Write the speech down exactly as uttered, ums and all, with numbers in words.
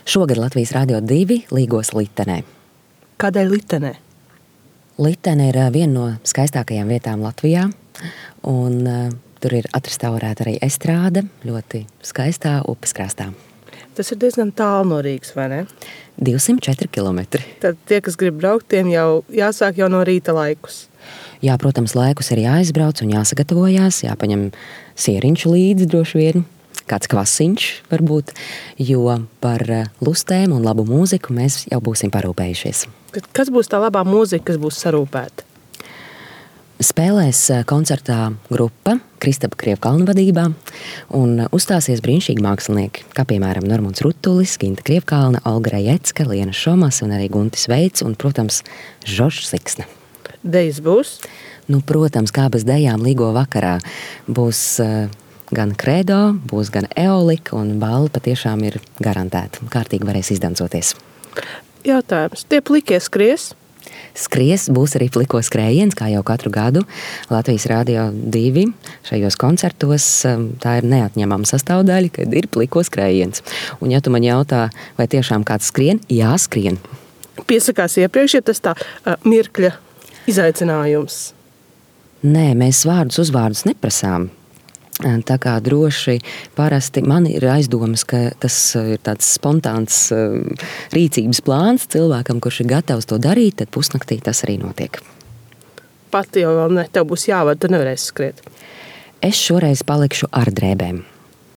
Šogad Latvijas Rādio divi līgos Litenē. Kādēļ Litenē? Litene ir viena no skaistākajām vietām Latvijā, un uh, tur ir atrestaurēta arī estrāde, ļoti skaistā upes krastā. Tas ir diezgan tālu no Rīgas, vai ne? divsimt četri kilometri. Tad tie, kas grib braukt, tiem jau jāsāk jau no rīta laikus. Jā, protams, laikus ir jāizbrauc un jāsagatavojās, jāpaņem sieriņš līdzi droši vien, kāds kvasiņš varbūt, jo par lustēm un labu mūziku mēs jau būsim parūpējušies. Kas būs tā labā mūzika, kas būs sarūpēta? Spēlēs koncertā grupa Kristapa Krievkalna vadībā un uzstāsies brīnišķīgi mākslinieki, kā piemēram Normunds Rutulis, Ginta Krievkalna, Olga Rajecka, Liena Šomas un arī Guntis Veits un, protams, Žoržs Siksna. Dejas būs? Nu, protams, kā bez dejām līgo vakarā. Būs uh, gan kredo, būs gan eolika un balva patiešām ir garantēta. Kārtīgi varēs izdancoties. Jautājums. Tie plikie skries? Skries, būs arī pliko skrējiens, kā jau katru gadu Latvijas Rādio divi šajos koncertos. Tā ir neatņemama sastāvdaļa, kad ir pliko skrējiens. Un ja tu man jautā, vai tiešām kāds skrien? Jā, skrien. Piesakās iepriekš, ja tas tā uh, mirkļa izaicinājums? Nē, mēs vārdus uzvārdus neprasām. Tā kā droši parasti man ir aizdomas, ka tas ir tāds spontāns rīcības plāns cilvēkam, kurš ir gatavs to darīt, tad pusnaktī tas arī notiek. Pati jau vēl ne, tev būs jāvada, tu nevarēsi skriet. Es šoreiz palikšu ar drēbēm.